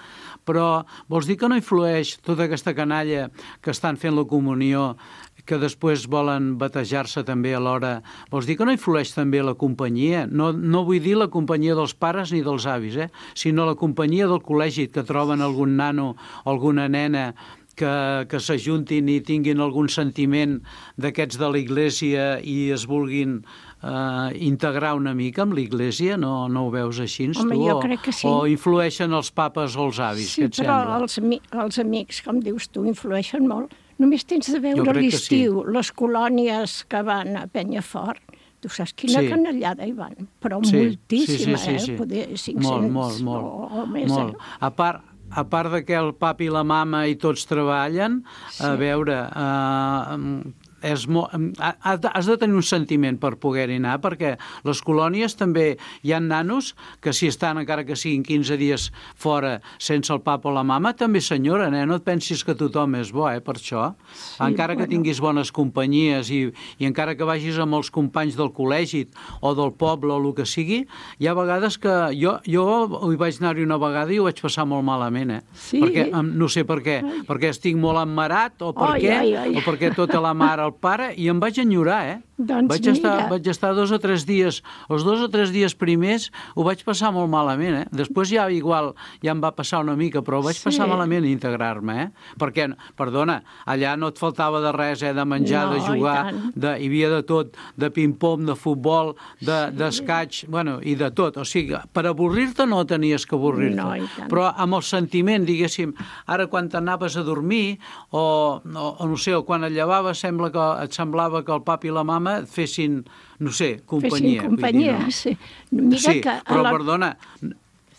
Però vols dir que no influeix tota aquesta canalla que estan fent la comunió, que després volen batejar-se també alhora, vols dir que no influeix també la companyia? No, no vull dir la companyia dels pares ni dels avis, eh? Sinó la companyia del col·legi, que troben algun nano o alguna nena que, que s'ajuntin i tinguin algun sentiment d'aquests de l'Església i es vulguin eh, integrar una mica amb l'Església, no, no ho veus així, Home, tu? jo O, crec que sí. o influeixen els papes o els avis, Sí, què et però sembla? els, ami els amics, com dius tu, influeixen molt. Només tens de Jo veure crec que l'estiu, les colònies que van a Penyafort. Tu saps quina Sí. canallada hi van, però Sí, moltíssima, sí, sí, sí, sí. eh? Poder cinc-cents molt, molt, molt, o, o més. molt. Eh? A part, a part de que el papi i la mama i tots treballen, Sí. a veure, eh, és mo... has de tenir un sentiment per poder-hi anar, perquè les colònies també hi ha nanos que si estan encara que siguin quinze dies fora sense el papa o la mama, també s'enyoren, eh? No et pensis que tothom és bo, eh, per això. Sí, encara que bueno. tinguis bones companyies i, i encara que vagis amb els companys del col·legi o del poble o el que sigui, hi ha vegades que jo, jo hi vaig anar-hi una vegada i ho vaig passar molt malament, eh? Sí? Perquè, em- no sé per què, Ai. perquè estic molt emmarat o per Ai, què, ai, ai. o perquè tota la mare el pare, i em vaig enyorar, eh? Doncs vaig, estar, mira. vaig estar dos o tres dies, els dos o tres dies primers ho vaig passar molt malament, eh? Després ja igual, ja em va passar una mica, però ho vaig Sí. passar malament integrar-me, eh? Perquè, perdona, allà no et faltava de res, eh? De menjar, No, de i jugar, tant. de, hi havia de tot, de ping-pong, de futbol, d'escaig, de, bueno, i de tot. O sigui, per avorrir-te no tenies que avorrir-te. No, i tant. Però amb el sentiment, diguéssim, ara quan t'anaves a dormir o, o, o no sé, o quan et llevaves sembla que et semblava que el papi i la mama et fessin, no sé, companyia. Fessin companyia, vull dir, no? sí. Mira sí, que a però la- perdona,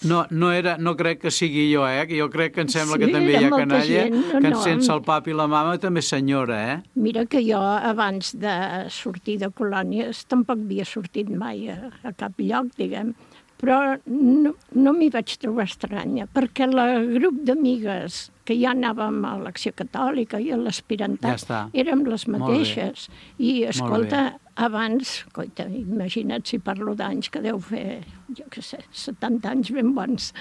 no, no, era, no crec que sigui jo, eh? Que jo crec que em sembla Sí, que també hi era ha molta canalla gent, no, que no. sense el papi i la mama també senyora, eh? Mira que jo, abans de sortir de colònies, tampoc havia sortit mai a, a cap lloc, diguem. Però no, no m'hi vaig trobar estranya, perquè el grup d'amigues que ja anàvem a l'Acció Catòlica i a Ja l'Aspirantat està. érem les Molt bé. mateixes. I, escolta, bé. abans, coita, imagina't si parlo d'anys, que deu fer, jo què sé, setanta anys ben bons,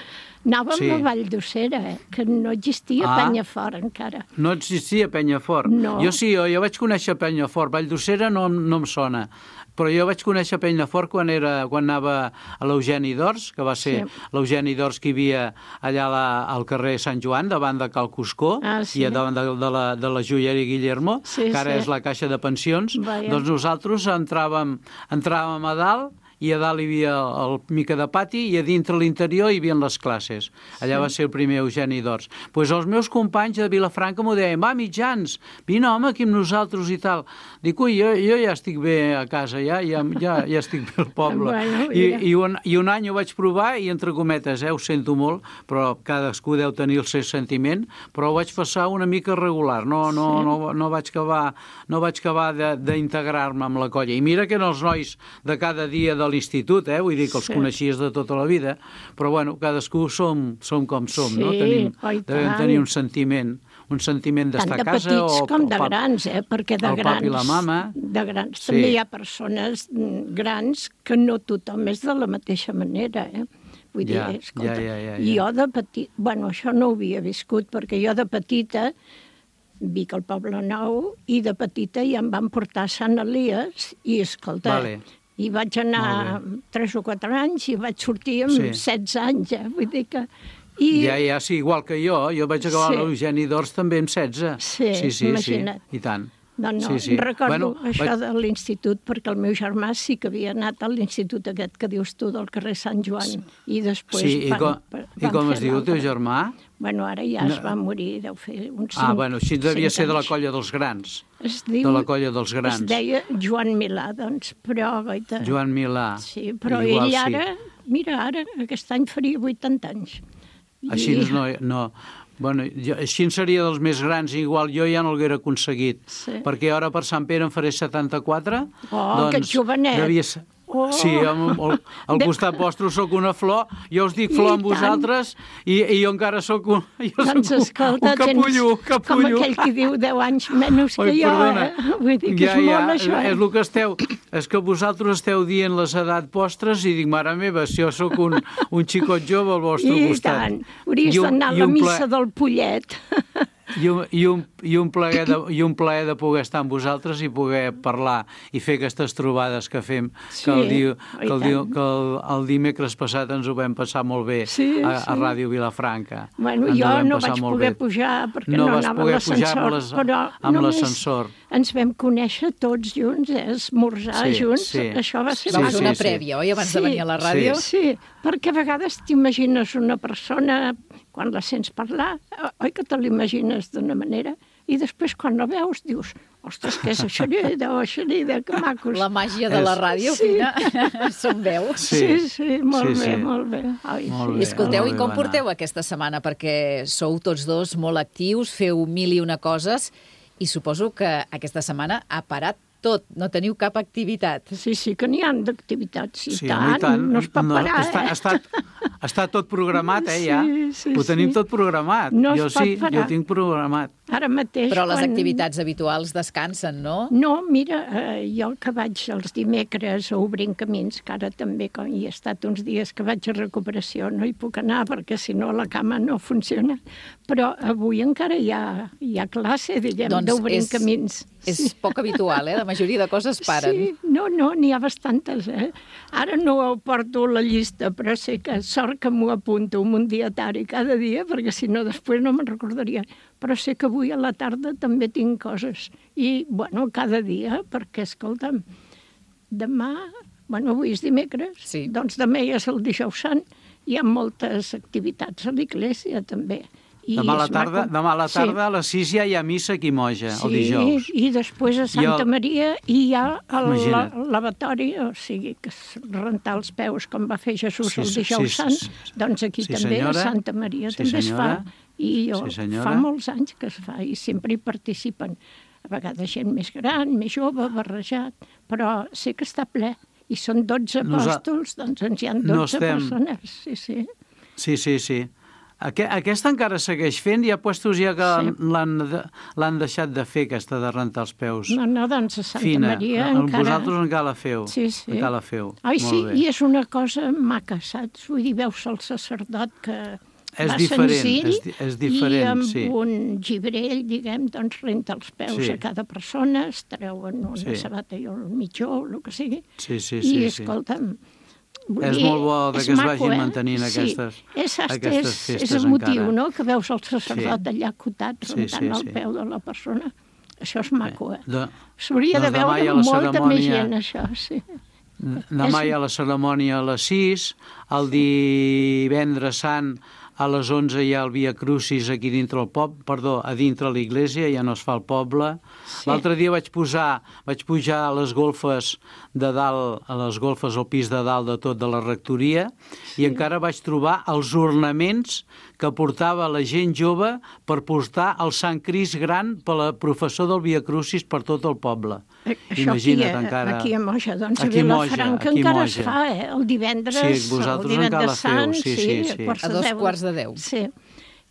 anàvem Sí. a Vall d'Ucera, eh, que no existia Ah. Penyafort encara. No existia Penyafort. No. Jo sí, jo, jo vaig conèixer Penyafort. Valldosera no, no em sona. Però jo vaig conèixer Penyafort quan, era, quan anava a l'Eugeni d'Ors, que va ser Sí. l'Eugeni d'Ors que hi havia allà a la, al carrer Sant Joan, davant de Cal Cuscó, Ah, sí. i davant de, de, la, de la joieria Guillermo, Sí, que ara sí. és la caixa de pensions. Vaja. Doncs nosaltres entràvem, entràvem a dalt i a dalt hi havia el mica de pati i a dintre l'interior hi havia les classes. Allà Sí. va ser el primer Eugeni d'Ors. Doncs pues els meus companys de Vilafranca m'ho deien, va, mitjans, vine home aquí amb nosaltres i tal. Dic, ui, jo, jo ja estic bé a casa, ja, ja, ja, ja estic bé al poble. Bueno, I, mira. i, un, I un any ho vaig provar i, entre cometes, eh, ho sento molt, però cadascú deu tenir el seu sentiment, però ho vaig passar una mica regular, no, no, Sí. no, no vaig acabar, no vaig acabar de- d'integrar-me amb la colla. I mira que eren els nois de cada dia de l'institut, eh? Vull dir que els Sí. coneixies de tota la vida, però bueno, cadascú som, som com som, no? Sí, Tenim, oi devem tant. tenir un sentiment, un sentiment Tant d'estar de a casa petits o com el de pap- grans, eh? Perquè de el grans, papi i la mama. de grans Sí. també hi ha persones mm, grans que no tothom és de la mateixa manera, eh? Vull dir, Ja, escolta, ja, ja, ja, ja. jo de petit... Bueno, això no ho havia viscut, perquè jo de petita vic al Poble Nou i de petita ja em van portar a Sant Elies i, escolta, Vale. i vaig anar Molt tres o quatre anys i vaig sortir amb Sí. setze anys, eh? Vull dir que... I... Ja, ja, sí, igual que jo. Jo vaig acabar Sí. l'Eugeni d'Ors també amb setze. Sí, sí, sí, imagina't. sí, i tant. No, no, sí, sí. recordo Bueno, això vaig- de l'institut, perquè el meu germà sí que havia anat a l'institut aquest que dius tu, del carrer Sant Joan, i després Sí, i van, com, van i com fer es diu el teu l'altre. germà? Bueno, ara ja No. es va morir, deu fer uns cinc, Ah, bueno, així devia cinc ser de la anys. colla dels grans. Es diu, de la colla dels grans. Es deia Joan Milà, doncs, però... Goita, Joan Milà. Sí, però Igual ell sí. ara, mira, ara, aquest any faria vuitanta anys. Així I- no... no bueno, jo, així seria dels més grans, igual jo ja no l'haguera aconseguit. Sí. Perquè ara per Sant Pere en faré setanta-quatre. Oh, que ets jovenet. Devia ser... Oh. Sí, amb, al, al De- costat vostre sóc una flor, jo us dic I flor amb tant. vosaltres i, i jo encara sóc un, jo Doncs sóc un, escolta, un capullo, un tens capullo. com aquell que diu deu anys menys que Oi, jo, perdona. eh? Vull dir que ja, és ja, molt això, eh? és el que esteu, és que vosaltres esteu dient les edats vostres i dic, mare meva, si jo sóc un, un xicot jove al vostre I costat. tant, hauries I un- d'anar a i la un ple- missa del Pollet. I un, i, un, i, un plaer de, I un plaer de poder estar amb vosaltres i poder parlar i fer aquestes trobades que fem, Sí, que, el, diu, oi que, el, tant. diu, que el, el dimecres passat ens ho vam passar molt bé Sí, a, a sí. Ràdio Vilafranca. Bueno, Ens ho jo vam no passar vaig molt poder bé. pujar perquè No no, vas anava poder a pujar amb l'ascensor, les- però amb només l'ascensor. ens vam conèixer tots junts, eh? esmorzar Sí, junts, sí. això va ser... Vam maco. fer una prèvia, oi, abans de venir a la ràdio? Sí, sí, perquè a vegades t'imagines una persona, quan la sents parlar, oi que te l'imagines d'una manera, i després quan la veus dius, ostres, què és això, oh, Xerida, que macos. La màgia de la ràdio, Sí. Fina, són veu. Sí, sí, molt Sí, bé, sí. molt bé. Ai, Molt sí. bé. I escolteu, i molt bé, com va porteu aquesta setmana? Perquè sou tots dos molt actius, feu mil i una coses, i suposo que aquesta setmana ha parat tot, no teniu cap activitat. Sí, sí, que n'hi ha d'activitats, i Sí, tant, home, i tant. no es pot No, parar, està, eh? està, està tot programat, eh, ja. Sí, sí, Ho tenim sí. tot programat. No es jo pot sí, parar. jo tinc programat. Ara mateix... Però les quan... activitats habituals descansen, no? No, mira, eh, jo que vaig els dimecres a Obrint Camins, que ara també, com hi he estat uns dies que vaig a recuperació, no hi puc anar perquè si no la cama no funciona, però avui encara hi ha, hi ha classe, diguem, Doncs d'Obrint és- Camins. És poc habitual, eh? La majoria de coses paren. Sí, no, no, n'hi ha bastantes, eh? Ara no ho porto a la llista, però sé que sort que m'ho apunto amb un dietari cada dia, perquè si no després no me'n recordaria. Però sé que avui a la tarda també tinc coses. I, bueno, cada dia, perquè, escolta'm, demà, bueno, avui és dimecres, Sí. doncs demà ja és el dijous sant, hi ha moltes activitats a l'església també. I Demà a la és tarda, maco. demà a la Sí. tarda a les sis ja hi ha missa aquí a Moja, el dijous. Sí, i després a Santa I el- Maria i hi ha el Imagina't. la- lavatori, o sigui, que és rentar els peus com va fer Jesús Sí, el sí, dijous sí, sant, sí, sí. doncs aquí Sí, també senyora. a Santa Maria Sí, també es senyora. fa. I jo, Sí, senyora. fa molts anys que es fa i sempre hi participen. A vegades gent més gran, més jove, barrejat, però sé que està ple. I són dotze Nosa- apòstols, doncs ens hi ha No dotze estem- persones. Sí, sí. Sí, sí, sí. Aqu aquesta encara segueix fent? Hi ha puestos ja que Sí. l'han de- l'han deixat de fer, aquesta de rentar els peus. No, no, doncs a Santa Fina. Maria El- encara... Vosaltres encara la feu. Sí, sí. Encara la feu. Ai, Molt sí, bé. i és una cosa maca, saps? Vull dir, veus el sacerdot que És va diferent, senzill és di- és diferent, i amb sí. un gibrell, diguem, doncs renta els peus Sí. a cada persona, es treuen una Sí. sabata i un mitjó, o el que sigui. Sí, sí, I, sí, sí. escolta'm, vull És dir, molt bo de és que es maco, vagin eh? mantenint Sí. aquestes- és, hasta aquestes és, festes és emotiu, encara. no?, que veus el sacerdot Sí. allà acotat Sí, rentant sí, el sí. peu de la persona. Això és maco, eh? De, S'hauria de doncs demà hi veure ha la molta més cerimònia- gent, això, sí. Demà hi ha la cerimònia a les sis, el divendres sant a les onze hi ha el Via Crucis aquí dintre el poble, perdó, a dintre l'església, ja no es fa al poble. Sí. L'altre dia vaig posar, vaig pujar a les golfes de dalt, a les golfes al pis de dalt de tot de la rectoria, sí. I encara vaig trobar els ornaments que portava la gent jove per portar el Sant Crist gran per la professor del Via Crucis per tot el poble. Imagina't encara... Aquí a Moja, doncs aquí a Vilafranca encara Moja. es fa, eh? El divendres, sí, vosaltres el divendres encara sant, feu, sí, sí, sí, sí. A dos quarts de deu. Sí,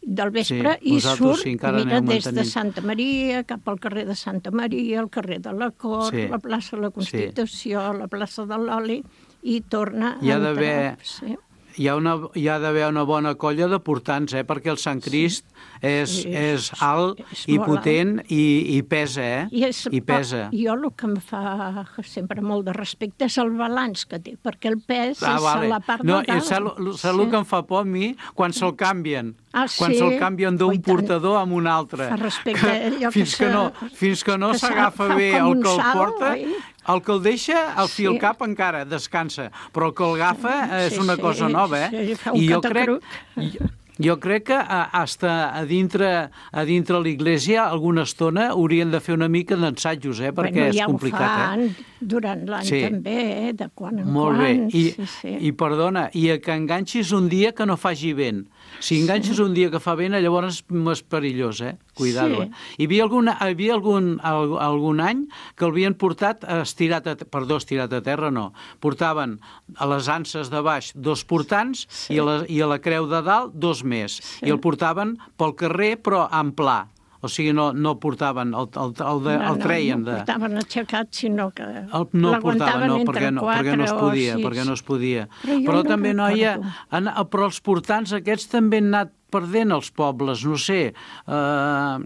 del vespre, sí, i surt, mira, des de mantenint. Santa Maria, cap al carrer de Santa Maria, al carrer de la Cort, sí. la plaça de la Constitució, sí. la plaça de l'Oli, i torna hi ha a entrar. Sí. Hi ha, una, hi ha d'haver una bona colla de portants, eh? Perquè el Sant Crist sí. és, sí. és alt és i potent i, i pesa, eh? I, és, I pesa. Jo el que em fa sempre molt de respecte és el balanç que té, perquè el pes ah, és vale. a la part no, de dalt. Saps sí. el que em fa por a mi? Quan se'l canvien. Ah, quan sí? se'l canvien d'un portador a un altre. Fa respecte allò fins que, que no, fins que no s'agafa bé el que el porta... Oi? El que el deixa, el fi al sí. cap encara descansa, però el que el agafa és sí, una sí, cosa nova, eh? Sí, fa un I jo catacruc. crec, jo, jo crec que hasta a dintre, a dintre l'església alguna estona haurien de fer una mica d'ensajos, eh? Perquè bueno, és ja complicat, fan, eh? Durant l'any sí. també, eh? De quan en Molt quan. Molt bé, I, sí, sí. i perdona, i que enganxis un dia que no faci vent. Si enganxes sí. un dia que fa vent, llavors és perillós, eh? Cuidado, sí. eh? Hi havia, alguna, hi havia algun, algun any que l'havien portat estirat a, perdó, estirat a terra, no. Portaven a les anses de baix dos portants sí. i, a la, i a la creu de dalt dos més. Sí. I el portaven pel carrer, però en pla. O sigui, no, no portaven, el, el, el, de, el treien. No, no portaven aixecat, sinó que el, no portaven, no, perquè no, perquè no es podia, perquè no es podia. Però, però també, no noia, han, però els portants aquests també han anat perdent els pobles, no sé, eh,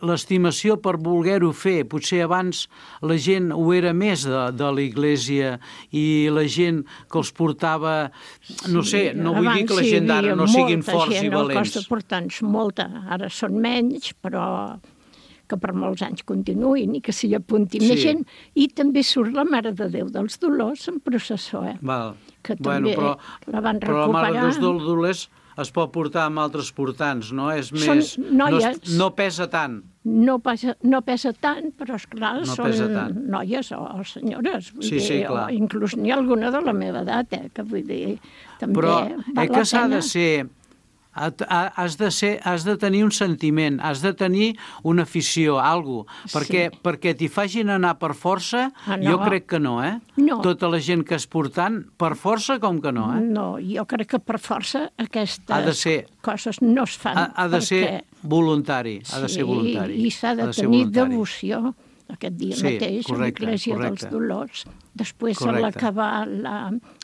l'estimació per voler-ho fer. Potser abans la gent ho era més de, de l'església i la gent que els portava, no sé, no vull dir que la gent d'ara no siguin forts i valents. Abans hi havia molta gent, els portants, molta. Ara són menys, però que per molts anys continuïn i que s'hi apunti sí. més gent. I també surt la Mare de Déu dels Dolors en processó, eh? Val. Que bueno, també però, la van recuperar. Però la Mare dels Dolors es pot portar amb altres portants, no? És són més... noies. No, no pesa tant. No pesa, no pesa tant, però esclar, no són noies o, o senyores. Vull sí, dir, sí, clar. O inclús n'hi ha alguna de la meva edat, eh? Que vull dir, també però val eh, que s'ha la pena. de ser... Has de, ser, has de tenir un sentiment, has de tenir una afició, alguna cosa, perquè, sí. perquè t'hi facin anar per força, ah, no. jo crec que no, eh? No. Tota la gent que és portant, per força com que no, eh? No, jo crec que per força aquestes ha de ser, coses no es fan. Ha, ha de perquè... ser voluntari, ha de ser voluntari. Sí, i s'ha de, de tenir devoció aquest dia sí, mateix correcte, a l'Església dels Dolors. Després, correcte. A l'acabar la...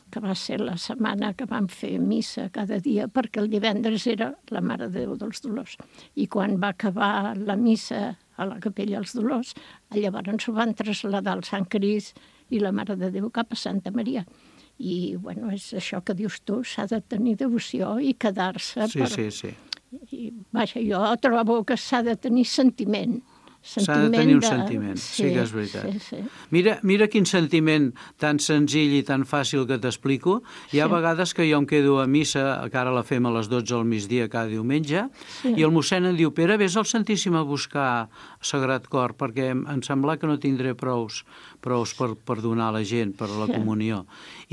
que va ser la setmana que vam fer missa cada dia, perquè el divendres era la Mare de Déu dels Dolors. I quan va acabar la missa a la Capella dels Dolors, llavors ho van traslladar al Sant Crist i la Mare de Déu cap a Santa Maria. I, bueno, és això que dius tu, s'ha de tenir devoció i quedar-se sí, per... Sí, sí, I, vaja, jo trobo que s'ha de tenir sentiment. S'ha de tenir un de... sentiment, sí, sí que és veritat. Sí, sí. Mira, mira quin sentiment tan senzill i tan fàcil que t'explico. Hi ha sí. vegades que jo em quedo a missa, que ara la fem a les dotze al migdia cada diumenge, sí. i el mossèn em diu, Pere, vés al Santíssim a buscar Sagrat Cor, perquè em sembla que no tindré prous, prous per, per donar a la gent, per la sí. comunió.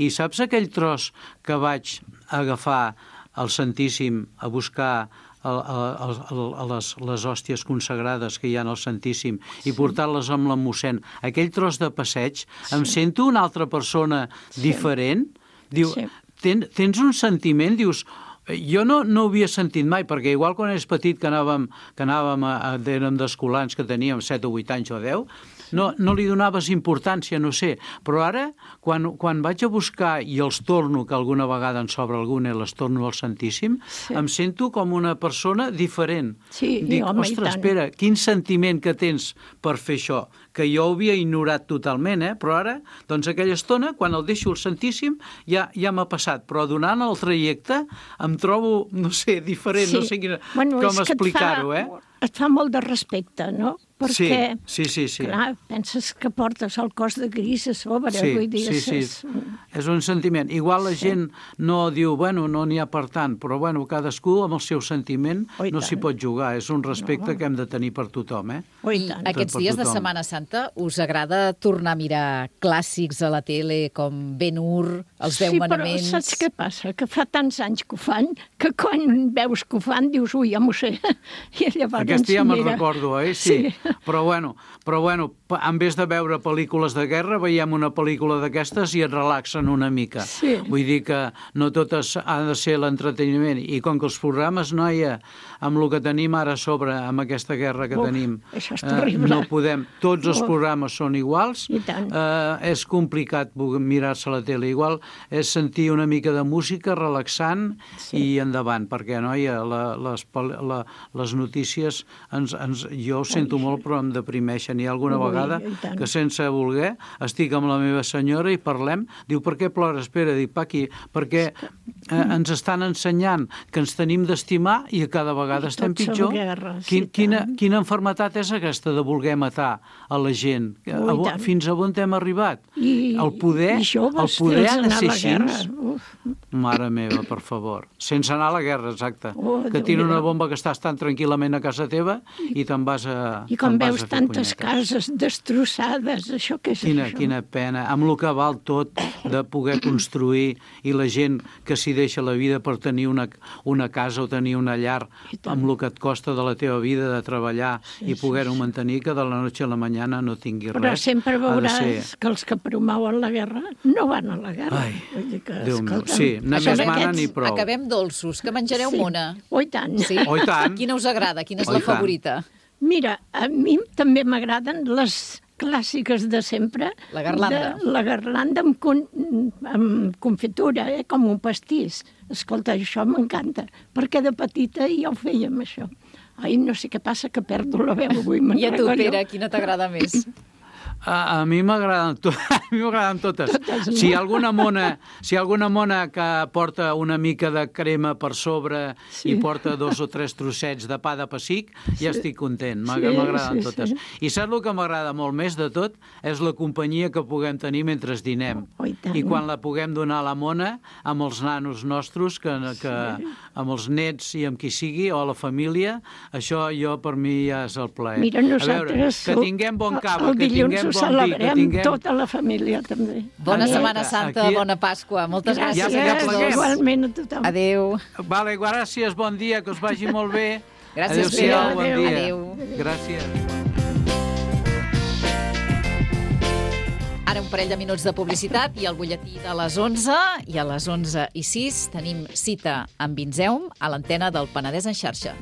I saps aquell tros que vaig agafar al Santíssim a buscar a, a, a, a les, les hòsties consagrades que hi ha al Santíssim sí. i portar-les amb la mossèn, aquell tros de passeig, sí. em sento una altra persona sí. diferent. Diu, sí. ten, tens un sentiment, dius, jo no, no ho havia sentit mai, perquè igual quan eres petit que anàvem, que anàvem a, a, érem d'escolans que teníem set o vuit anys o deu, no, no li donaves importància, no sé, però ara, quan, quan vaig a buscar i els torno, que alguna vegada en sobra alguna i les torno al Santíssim, sí. em sento com una persona diferent. Sí, Dic, home, ostres, espera, quin sentiment que tens per fer això, que jo ho havia ignorat totalment, eh? Però ara, doncs aquella estona, quan el deixo al Santíssim, ja, ja m'ha passat, però donant el trajecte em trobo, no sé, diferent, sí. no sé quina, bueno, com explicar-ho, eh? Et fa molt de respecte, no? Perquè, sí, sí, sí, sí. clar, penses que portes el cos de gris a sobre, sí, vull dir... Sí, sí, és... és un sentiment. Igual la sí. gent no diu, bueno, no n'hi ha per tant, però, bueno, cadascú amb el seu sentiment oh, no s'hi pot jugar. És un respecte no. que hem de tenir per tothom, eh? Oh, I tant. Aquests dies de Setmana Santa us agrada tornar a mirar clàssics a la tele com Ben-Hur, els Deu sí, Manaments... Sí, però saps què passa? Que fa tants anys que ho fan, que quan veus que ho fan dius, ui, ja m'ho sé. I llavors, Aquest dia mira... me'n recordo, eh? Sí. sí. Però bueno, però bueno, en vez de veure pel·lícules de guerra, veiem una pel·lícula d'aquestes i et relaxen una mica. Sí. Vull dir que no totes ha de ser l'entreteniment. I com que els programes, noia, amb el que tenim ara a sobre, amb aquesta guerra que Uf, tenim, això és eh, terrible. no podem... Tots els Uf. programes són iguals. I tant. Eh, és complicat mirar-se la tele. Igual és sentir una mica de música relaxant sí. i endavant, perquè, noia, la, les, la, les notícies, ens, ens, jo ho sento Ai, molt, però em deprimeixen. Hi ha alguna Ui, vegada i tant. que sense voler estic amb la meva senyora i parlem, diu, per què plores? Espera, dic, Paqui, perquè eh, ens estan ensenyant que ens tenim d'estimar i a cada vegada I estem tot són pitjor. guerres, Quin, i quina, tant. quina enfermetat és aquesta de voler matar a la gent? Ui, A, a, tant. fins a on hem arribat? I, el poder, i joves, el poder ha de anar a ser la així? guerra. Uf. Mare meva, per favor. Sense anar a la guerra, exacte. Oh, que tira una Déu-n'hi-do. bomba que estàs tan tranquil·lament a casa teva i te'n vas a I com te'n vas veus a fer tantes punyetes. cases destrossades, això què és Quina, això? quina pena, amb el que val tot de poder construir i la gent que s'hi deixa la vida per tenir una, una casa o tenir una llar amb el que et costa de la teva vida de treballar Sí, i poder-ho sí, sí. mantenir, que de la noche a la mañana no tingui Però res. sempre Ha de veuràs ser- que els que promouen la guerra no van a la guerra. Ai, Vull dir que, Déu meu, escolta'm, sí, anar això més d'aquests- mana ni prou. Acabem dolços. Que menjareu, Sí. Mona? Oh, i tant. Sí? Oh, i tant. Quina us agrada? Quina és Oh, la i tant. favorita? Mira, a mi també m'agraden les clàssiques de sempre. La garlanda. De, la garlanda amb, con, amb confitura, eh, com un pastís. Escolta, això m'encanta, perquè de petita ja ho fèiem, això. Ai, no sé què passa, que perdo la veu avui. me'n I a tu, regollo. Pere, quina t'agrada més? A, a mi m'agraden to a mi m'agraden totes. Totes, no? Si hi ha alguna mona, si hi ha alguna mona que porta una mica de crema per sobre Sí. i porta dos o tres trossets de pa de pessic, ja estic content. M'ag- Sí, M'agraden sí, totes. sí. I saps el que m'agrada molt més de tot? És la companyia que puguem tenir mentre dinem. Oh, i tant. I quan la puguem donar a la mona amb els nanos nostres, que, que, amb els nets i amb qui sigui, o a la família, això jo per mi ja és el plaer. Mira, a veure, nosaltres que tinguem bon cava, el que dilluns tinguem ho bon vi, que celebrem tinguem... tota la família, també. Bona Exacte. Setmana Santa, Aquí- bona Pasqua. Moltes gràcies. Ja- ja a tots pleguem. dos. Igualment a tothom. Adéu. Vale, gràcies, bon dia, que us vagi molt bé. Gràcies, Adéu-siau, Pere. bon Adéu. dia. Adéu. Gràcies. Ara un parell de minuts de publicitat i el butlletí de les onze, i a les onze i sis tenim cita amb Vinzeum a l'antena del Penedès en xarxa.